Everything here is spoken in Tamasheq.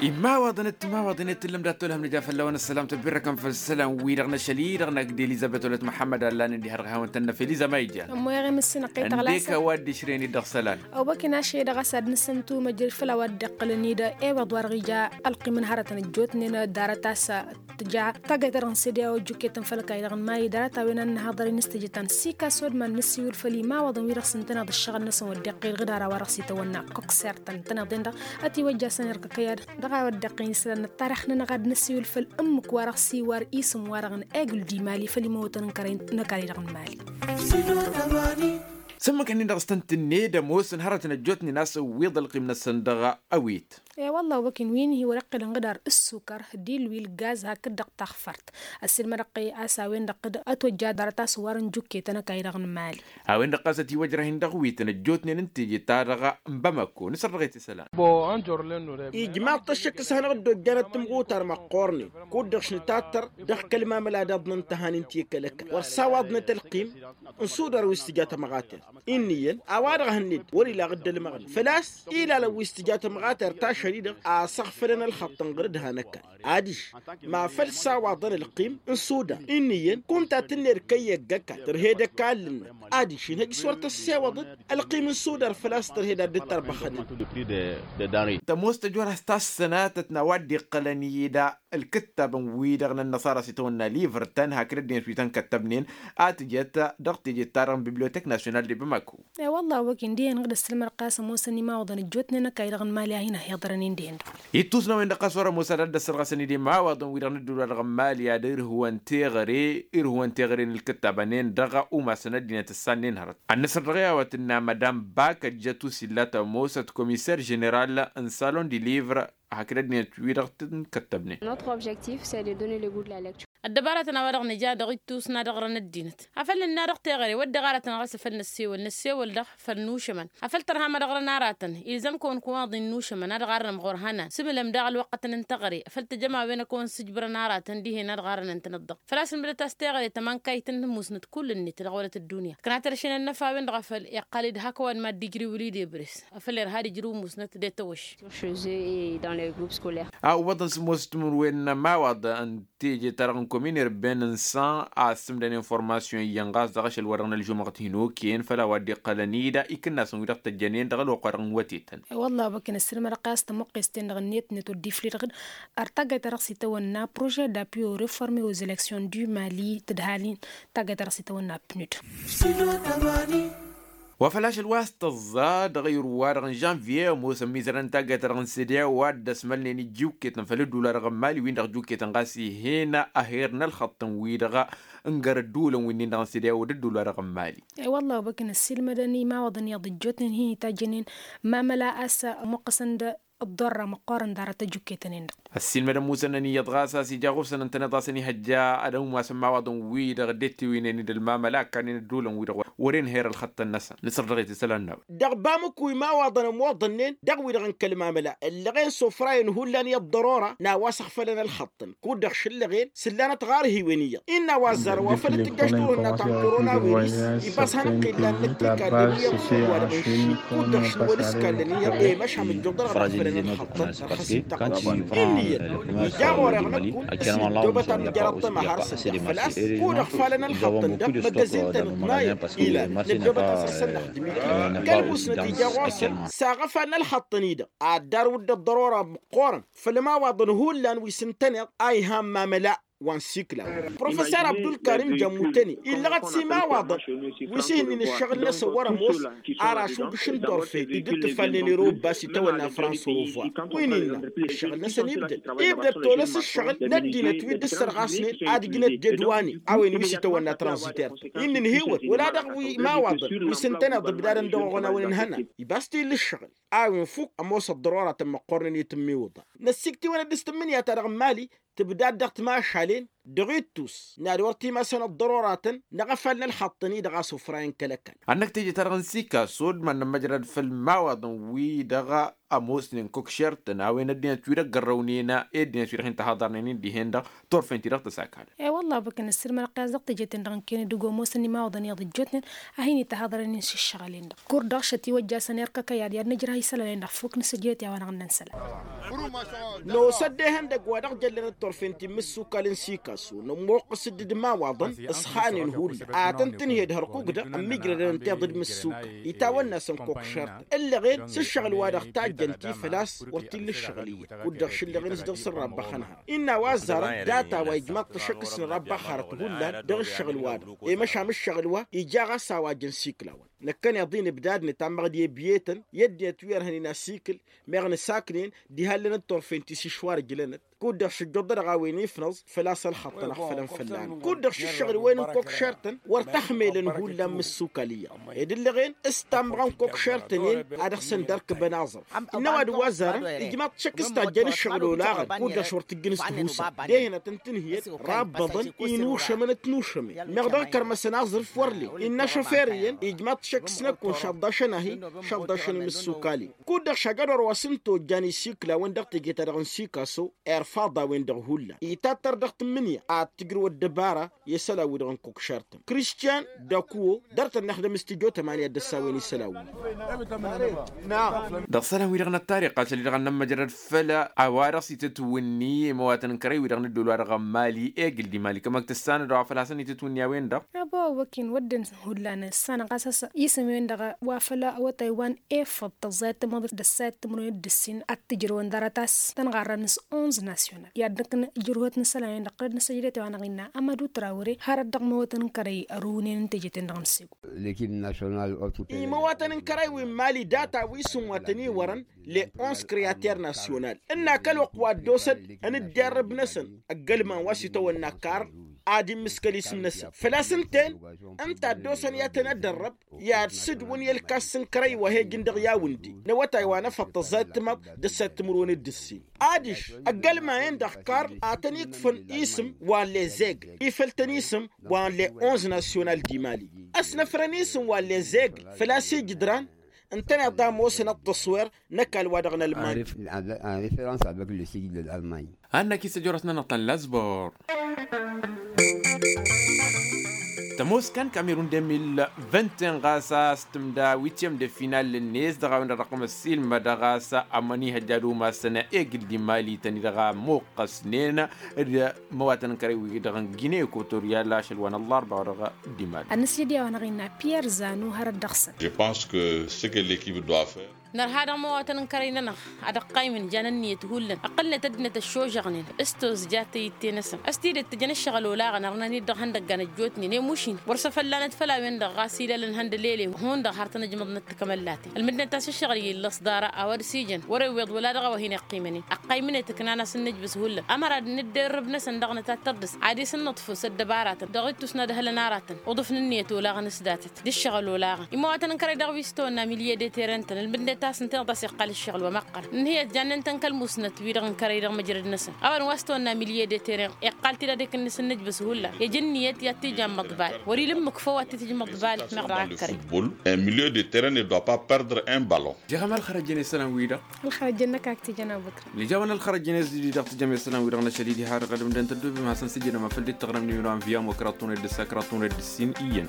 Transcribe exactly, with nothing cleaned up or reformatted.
Imawaḍăn d-timawaḍen i-tǝllăm dat-tolhăm nǝja fălla-wen ăssălam tăbbirrăkăn făll-isălan-wi-dăɣ n-ašăl-i-dăɣ n-agg d-elizăbet wăla d-muḥămmăd allan ǝndi hărɣ hawăn-tăn-năf elizăbet ma ija. Ămmoyăɣ i-mǝssin ăqqităɣ lasăn. Ǝndek a-wa dd-išrăyăn-dd dăɣ-isălan. Ăwbăk inašăy-dăɣ a-s ad-nǝsǝmtu măjrăd făll-a-wa dd-iqqǝlăn-dd i-wăḍ wa-dăɣ ija ălqim n-hărătăn ăjjootnen dara ta s-tǝja taggayt-ta-dăɣ n-sede a-wa ăjjukketăn făll-kayy-dăɣ n-mali dara ta-wen ad-nǝhaḍăr-in s-tǝjǝt ta n-sikaso d-iman n-ǝssiwǝl făll-imawaḍăn-wi-dăɣ s-ǝntăneḍ ǝššăɣǝl-năsăn wădden ɣir ɣǝdara wa dăɣ-s itawănna kukser-tăn ǝntăneḍ-en-dăɣ ătiwăjjasăn irkăkăyad. Dăɣ-a-wa dd-iqqăyăn isălan n-ăṭṭarix-nănăɣ ad-nǝsiwǝl făll-ǝmmǝk wa dăɣ-s iwar isǝm wa-dăɣ n-egl d-imali făll-imăwătăn n-kăray-dăɣ n-imali. Sǝmmǝkăn-in dăɣ-s tăn-tǝnned ămoosăn hărătăn ăjjootnen a-s ǝwwiḍ ălqim-năsăn dăɣ-awit. E-wălla a-wa băkkin wi n-hi-wăr-iqqǝlăn ɣǝdar ǝssukăr d-ilwil gaz hakd-dăɣ taɣfărt. Ăssiilmădăɣ-t a-s a-wen-dăɣ d-ătwăjja dăr-tasǝwar n-jukketăn ăkayy-dăɣ n-imali. A-wen-dăɣ ɣas ătiwăjrăh-in dăɣ-wităn ăjjootnen n-teje-ta-dăɣ n-bamăko nǝsrăɣet isălan. Ijmaḍ-t ăššăk s-hanăɣ-dd-ojjanăt timɣutar măqqoornen kud-dăɣ š-nǝtattăr dăɣ-kăl-mamăla d-aḍnăn tăhanin ti kăl-ăkall wăr sawaḍnăt ălqim n-sudar wi s-tǝja tămɣater. Inn'-iyyăn a-wa-dăɣ hănned wăr-ila ɣǝdd ălmăɣnăt făl-a-s ilalăn wi s-tǝja tămɣater tašăl-i-dăɣ a săɣfălăn ălxăṭṭăn ɣǝr-dd hanăkall. Adiš ma făl sawaḍăn ălqim n-sudan inn'-iyyăn kunta tǝnned kăy-egg ăkall tărhed ăkall-năk. Adiš inhăj s-wăr tăssewăḍ-dd ălqim n-sudan făl-a-s tărhed ad-dd-tărbăxănăn. Tămoos tăjorăt tassănatăt n-a-wa dd-iqqălăn-i da ǝlkǝttabăn-wi-dăɣ n-ănnăṣara s-itawănna livăr-tăn hakd ăddinăt wi tăn-kăttăbnen a tǝjăt dăɣ-teje-ta-dăɣ n-bibliotek nasyonal de bamako. I-wălla a-wa băkkin dihen ɣǝd ăssǝlmăd ɣas ămoosăn imawăḍăn ăjjootnen ăkayy-dăɣ n-imali a hin-ăhiḍărăn-in dihen-dăɣ. Ittus n-a-wen-dăɣ ɣas wăr-ămoos ad-ăssărɣăsăn-dd imawaḍăn-wi-dăɣ n-ădduul-wa-dăɣ n-mali ad-irhǝwăn teɣăre irhǝwăn teɣăre n-ǝlkǝttabăn-en-dăɣ umasăn ăddinăt ǝssannen hărăt ad-nǝsăr dăɣ-i a-wa tǝnna madam bakăjjăt usilla tămoosăt komiser ženeral n-salon di livre. Hakd ăddinăt-wi-dăɣ tǝnkăttăbnen. Ăddăbaratăn a-wa-dăɣ nǝja dăɣ-ittus n-ad-ăɣrăn ăddinăt afăl nǝnna dăɣ-teɣăre wădden aratăn ɣas afăl năssewăl năssewăl-dăɣ făll-nušămăn afăl tărham ad-ăɣrăn aratăn ilzăm-kăwăn-kăwăn aḍin nušămăn ad-ɣarrăm ɣur-ihănan sǝmǝlăm daɣ ălwăqqătăn n-teɣăre afăl tăjăm a-wen-kăwăn sǝjbărăn aratăn dihen ad-ɣarrăn ǝntănăt-dăɣ. Făl-a-s ǝlmǝdăt a-s teɣăre tămankayt n-musnăt kull-net dăɣ-wălăt ăddunya ǝknat ăršǝnăn n-efăwen-dăɣ afăl iqqal-dd hak ăwadǝm ad-dd-ijrǝw ǝlidebres afăl irha ad-ijrǝw musnăt d-etăwăš. A ǝwwăḍăn s-ămoos timǝrwen n-ămawaḍ n-teje-ta-dăɣ n-komin irben n-san a ăssǝmdăn informasyon iyyăn ɣas dăɣ-ašăl-wa-dăɣ n-ălžumăɣăt hin-okăyăn făl a-wa dd-iqqălăn-dd ikǝnnasăn wi dăɣ-tăjjănen dăɣ-ălwăqq-wa-dăɣ n-wătetăn. Wălla a-wa băkk inǝssǝlmădăɣ-as tămuqqest-en-dăɣ ǝnniyăt-net wăr dd-iflǝy dăɣ-dd ărtaggayt-ta-dăɣ s-itawănna projet d'appui au reforme aux élections du mali tǝdhalin taggayt-ta-dăɣ s-itawănna pnud. Wa făl ašăl wa s-tăẓẓa dăɣ-ayǝr-wa-dăɣ n-žănvye ămoosăn mizărăn taggayt-ta-dăɣ n-sede wa dd-ăsmălnen ijjukketăn făll-ădduul-wa-dăɣ n-mali win-dăɣ jukketăn ɣas ih'-en ahher n-ălxăṭṭăn-wi-dăɣ n-găr ădduulăn wi-nin-dăɣ n-sede wa d-ădduul-wa-dăɣ n-mali. I-wălla a-wa băkk inǝssǝlmădăn imawaḍăn iyyăḍ ăjjootnen hin-itajjănen mamăla a-s ămuqqăsăn-dd ăḍḍorra măqqoorăn ḍarăt ăjukketăn-en-dăɣ. Ăssiilmădăn musănăn iyyăḍ ɣas a-s ija ɣur-săn ǝntăneḍ-asăn ihăjja ad-ămumasăn imawaḍăn-wi-dăɣ dd-etiwǝynen d-ălmamăla ăkkanen ădduulăn-wi-dăɣ wăren her ălxăṭṭăn-năsăn nǝsăr dăɣ-i tisălan n-a-wen. Dăɣ-bamǝku imawaḍăn ămoḍănnen dăɣ-wi-dăɣ n-kăl-mamăla ǝllăɣen s-ofrayăn hullan i-ăḍḍărora n-a-wa s-ăɣfălăn ălxăṭṭăn kud-dăɣ šǝllăɣen s-ǝllanăt ɣarhiwen iyyăḍ innă a-wa ăzzarăn wa făl t-tǝjja ašturǝn n-atamkăro n-a-wen-is. Ibas hanăɣ-t illan n-ǝttikal d-ănniyyăt n-ǝmmǝk wa-dăɣ n-iššǝy kud-dăɣ šǝnwăl s-kallăn iyyăḍ i-măšan ǝjjuḍ dăɣ-ăɣfălăn ălxăṭṭăn ărxăs-in taqǝs. Inn'-iyyăn ija ɣur-e ɣǝlăkkul s-dd-obăt ad-nǝjăr ăṭṭăma har s-ăjjăɣ făl-a-s kud-ăɣfalăn ălxăṭṭăn-dăɣ măggăzin-tăn ǝṭṭnayăn ilan năddoobăt ad-săr-săn năxdǝm-i-kăyy. Kăl-musnăt ija ɣur-săn s-aɣăfalăn ălxăṭṭăn-i-dăɣ ad-darwǝd d-ăḍḍărora măqqoorăn făll-imawaḍăn hullan wi s-ǝntăneḍ a ihan mamăla. Wa n-sikla professor abdulkarim jămmutăne illăɣăt s-imawaḍăn wi s-ihǝnnin ǝššăɣǝl-năsăn wăr-ămoos ar ašubǝš n-torfe dd-ǝṭṭǝfalnen erobba s-itawănna fransa rovoir wi n-innă ǝššăɣǝl-năsăn ibdăd ibdăd tolăs ǝššăɣǝl n-ăddinăt wi dd-ǝssărɣasnen ad-ǝjnăt d-edwanen a-wen wi s-itawănna tranziter. Innă ǝnhǝywăt wăla dăɣ-wi imawaḍăn wi s-ǝntăneḍ ǝbdadăn dăɣ-oɣăn a-wen ǝnhănan ibas-t-illa ǝššăɣǝl a-wen fukk ămoos ăḍḍărora tămmăqqornen i-tǝmmiwǝḍa. Năssikt'-iwăn dd-s tǝmmǝnǝya-ta-dăɣ n-mali tǝbdad dăɣ-timašalen dăɣ-ittus n-ad-wăr t-imasăn ăḍḍărora-tăn n-aɣăfal n-ălxăṭṭăn-i-dăɣ a-s ofrayăn kăl-ăkall. Ănnăk teje-ta-dăɣ n-sikaso d-iman n-ămmăjrad făll-imawaḍăn-wi-dăɣ ămoosnen kăkšert-tăn a-wen ăddinăt-wi-dăɣ gărrăwnen i-ăddinăt-wi-dăɣ hin-tăhaḍărnen dihen-dăɣ turfen-ti-dăɣ tăsakal. E-wălla a băkk inǝssǝlmăd ăqqas dăɣ-teje-ten-dăɣ n-kăyăn-dd ăgg-omoosăn imawaḍăn iyyăḍ ǝjjootnen a hin-ităhaḍărăn-in s-ǝššăɣǝl-en-dăɣ. Kurdăɣ šătiwăjjasăn irkăkăy ad-iyyăḍ nǝjrah isălan-en-dăɣ fukk nǝsǝjrăt i-a-wa-dăɣ ǝnnăn isălan. Nosădde ihăndăgg wa dăɣ-jăllănăt turfen ti n-imǝssukal n-sikasu nămmoqqăs-dd d-imawaḍăn s-ixanen hullan ad-tăn-tǝnhǝyăd hărkuk-dăɣ ămmijrădăn tiḍǝd imǝssukal itawănna-săn kok-šărtăn ǝllăɣen s-ǝššăɣǝl-wa-dăɣ tajjăn-t-i făl-a-s wăr t-illa ǝššăɣǝl iyyăt. Kud-dăɣ šǝllăɣen-s dăɣ-s n-rabbăxăn hărăn innă a-wa ăzzarăn data wa ijmaḍ-t ašăkkǝs n-rabbăxarăt hullan dăɣ-ǝššăɣǝl-wa-dăɣ i-măšan ǝššăɣǝl wa ija ɣas a-wa jăn siklawăn. Năkkăneḍ-i n-ǝbdad n-etammăɣ d-ebyetăn i-ăddinăt wi ărhănen asiklǝl meɣ nǝsaknen diha ǝllănăt turfen ti s-išwar ǝjlănăt. Kud-dăɣ šǝjjăḍ-dăɣ a-wen ifnăẓ făl-a-s ălxăṭṭăn aɣfălăn fălla-năɣ kud-dăɣ šǝššăɣǝl-wen n-kok-šărtăn wăr t-ăxmelăn hullan mǝssukal iyyăḍ. Ed ǝllăɣen s-tammăɣa n-kok-šărtăn-en a dăɣ-săn dd-ărkăbăn aẓrǝf. Innă ăwadǝm wa ăzzarăn ijmaḍ-t šăkk s-tajjăn ǝššăɣǝl olaɣăn kud-dăɣ s-wăr tǝjjǝn s-tihusăn. Dehen ad-tăn-tǝnhǝyăd rabbăḍăn inušămăn ătnušămen meɣ dăɣ-kărmăsăn aẓrǝf wăr len. Innă ašăfer iyyăn ijmaḍ-t šăkk s-năkkun šaḍḍašăn ahi šaḍḍašăn imǝssukal-in. Kud-dăɣ šagador wa s-ǝnta ojjan isikla-wen dăɣ-teje-ta-dăɣ n-sikaso irfaḍ a-wen-dăɣ hullan itattăr dăɣ-tǝmmǝnǝya ad-tǝjrǝw ăddăbara i-isălan-wi-dăɣ n-kok-šărtăn kristiyan d-akuwo. Dăr-tăn-năxdăm s-tijo tămanya d-ăssawen isălan-wi. Dăɣ-isălan-wi-dăɣ n-ăttariq ašăl-i-dăɣ ad-nămmăjrăd făll-a-wa-dăɣ s-itǝtwǝnni i-imăwatăn n-kărăy-wi-dăɣ n-ǝddol-wa-dăɣ n-mali egl d-imali kămăk tǝssanăd wa făl-a-s ănitǝtwǝnni a-wen-dăɣ. Abo a-wa ăwwăk-in wădden hullan ăssanăɣ a-s isǝm-wen-dăɣ wa făl awătay wa n-efăḍ tăẓẓayăt tămăḍt d-ăssayăt timǝrwen d-ǝssin ad-tǝjrăwăn ḍarăt a-s tănɣarrăn s-onz nasyonal i-ad-nǝkna ǝjrǝwhăt n-isălan-wen-dăɣ tădd-năsăjdăt i-wa-năɣ innă amădu trawre hărăt dăɣ-imăwătăn n-kărăy ărǝwǝnen n-teje-ten-dăɣ n-sego. Lekib nasyonal otutăne imăwătăn n-kărăy wi n-mali data wi s-ǝnwatăn-i wărăn le onz kreyater nasyonal ǝnn'-ak ălwăqq wa ăddoosăn ănǝdderrǝb-năsăn ăggălman wa s-itawănna karr ad-immǝskăl isǝm-năsăn făl-a-s ǝnta-en. Ǝnta a ăddoosăn i-ad-tăn-ăddărrăb i-ad-sǝdwǝn i-ălkas n-kărăy wa he-ǝjǝn dăɣ-i-awǝnde n-awătay wa n-efăḍ tăẓẓayăt timaḍ d-ăssayăt timǝrwen d-ǝssin. Adiš ăggălman-en-dăɣ karr ad-tăn-ikfăn isǝm wa n-lezegl ifăl-tăn isǝm wa n-le onz nasyonal d-imali. Ăsnăfrăn isǝm wa n-lezegl făl-a-s ijǝdran ǝntăneḍ a ămoosăn ăṭṭăṣwer n-ăkall wa dăɣ-nălmany. An referans avek le sigle d-almany. Ad-năkk isăjorăt-nănăɣ ta n-lasbor. Tămoos kan kamerun de mil vingt-un ɣas a-s tǝmda witiyăm de final-net dăɣ-a-wen-dăɣ dăɣ-kămăssilmăd ɣas a ămănihăjja d-umasăn egl d-imalităn-i-dăɣ a ămoqqăsnen d-imăwatăn n-kărăy-wi-dăɣ n-gine ekutoryal ašăl wa n-ăllarba wa dăɣ-dimali. Ad-nǝsjăd i-a-wa-năɣ innă piyer zanu hărăt dăɣ-săn. Je pense que ce que l'équipe doit faire. Nărha dăɣ-imăwatăn n-kărăy-nănăɣ ad-ăqqaymǝn jan ǝnniyăt hullan ǝqqǝlnăt ăddinăt ăššožăɣnen s-tozja tăyǝtte-năsăn s-tidǝt tǝjăn ǝššăɣǝl olaɣăn ărnăn-dd dăɣ-ihăndăggan ăjjootnen i-mušin wăr s-afăllanăt făll-a-wen-dăɣ ɣas ilălăn ihăndălele hundăɣ har tăn-ǝjmăḍnăt tikămăllaten ǝlmǝdnăt a-s ǝššăɣǝl illăs ḍară a-wa dăr-s ijăn wăr-ewweḍ wăla dăɣ-a-wa hin-iqqimănen ăqqaymǝnet ǝknan a-s n-nǝjbǝs hullan ămăra d-inǝdderrǝb-năsăn dăɣ-nătattăr dăɣ-s ad-isǝnnǝḍfu s-ăddăbaratăn dăɣ-ittus n-ad-ăhlăn aratăn uḍǝf n-ǝnniyăt olaɣăn s-datăt d-ǝššăɣǝl olaɣăn imăwatăn n-kărăy dăɣ-wi s-tăwănna milye d-eteren-tăn ǝlmǝdnet a-s ǝnta iḍas iqqal ǝššăɣǝl wa măqqărăn ǝnhǝyăt jannen-tăn kăl-musnăt wi-dăɣ n-kărăy dăɣ-măjrăd-năsăn a-wen wa s-tăwănna milye d-eteren iqqal-t-dd ad-ikǝnnǝs n-nǝjbǝs hullan ija ǝnniyăt i-ad-t-ija n-imăḍbal wăr-ila ǝmmǝk făw ad-t-tǝjmăḍbal meɣ dăɣ-kărăy. Football un milieu de terrain ne doit pas perdre un ballon. Jăɣăm ălxărăjăn isălan-wi-dăɣ. Ălxărăjăn-năk a ktijăn abăkr. Nǝja a-wa n-ălxărăjăn i-ad-dăɣ tǝjăm isălan-wi-dăɣ n-ašăl-i diha-dăɣ ad-ǝmdăn tăddobem hasăn-sǝjǝdăm afăl dd-taɣrǝm nimro anviyam wa kăraḍ tuned d-ǝssa kăraḍ tuned d-ǝssin iyyăn.